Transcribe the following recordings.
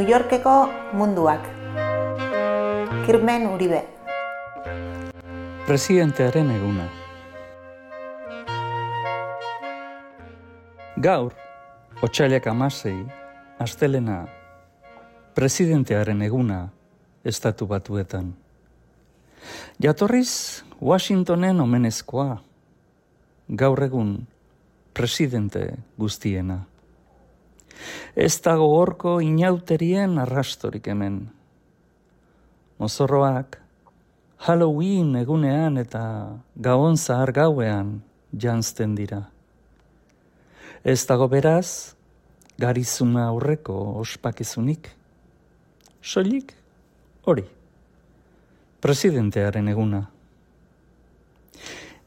New Yorkeko munduak. Kirmen Uribe. Presidentearen eguna. Gaur, otsailak 16, astelena, presidentearen eguna estatu batuetan. Jatorriz, Washingtonen omenezkoa, gaur egun presidente guztiena. Ez dago horko inauterien arrastorik hemen. Mozorroak Halloween egunean eta Gabon zahar gauean janzten dira. Ez dago beraz, garizuma aurreko ospakizunik. Soilik hori, presidentearen eguna.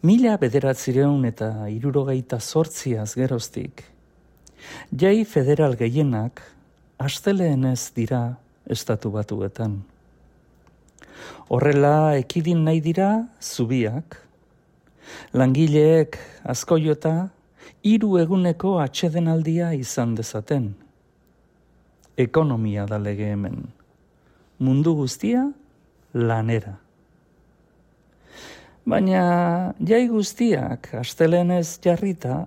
1968 geroztik, jai federal gehienak asteleenez dira estatu batuetan. Horrela ekidin nahi dira zubiak, langileek azkoiota 3 eguneko atsedenaldia izan dezaten. Ekonomia da lege hemen, mundu guztia lanera. Baina jai guztiak asteleenez jarrita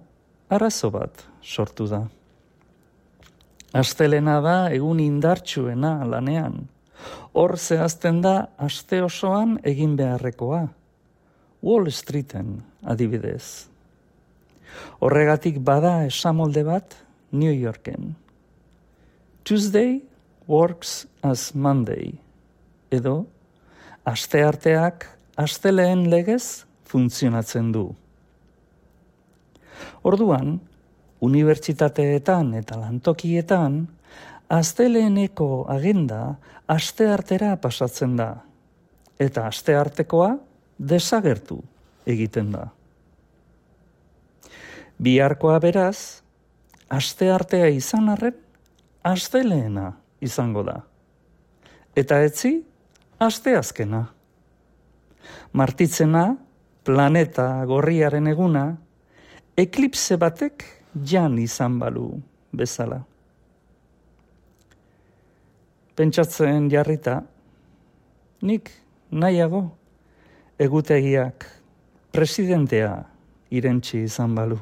arazo bat sortu da. Astelena da egun indartsuena lanean. Hor zehazten da aste osoan egin beharrekoa. Wall Streeten adibidez. Horregatik bada esamolde bat New Yorken. Tuesday works as Monday. Edo, astearteak asteleen legez funtzionatzen du. Orduan, unibertsitateetan eta lantokietan, asteleeneko agenda asteartera pasatzen da, eta asteartekoa desagertu egiten da. Biharkoa beraz, asteartea izan arren, asteleena izango da. Eta etzi, asteazkena. Martitzena, planeta gorriaren eguna, eklipse batek jan izan balu bezala. Pentsatzen jarrita, nik nahiago egutegiak presidentea irentsi izan balu.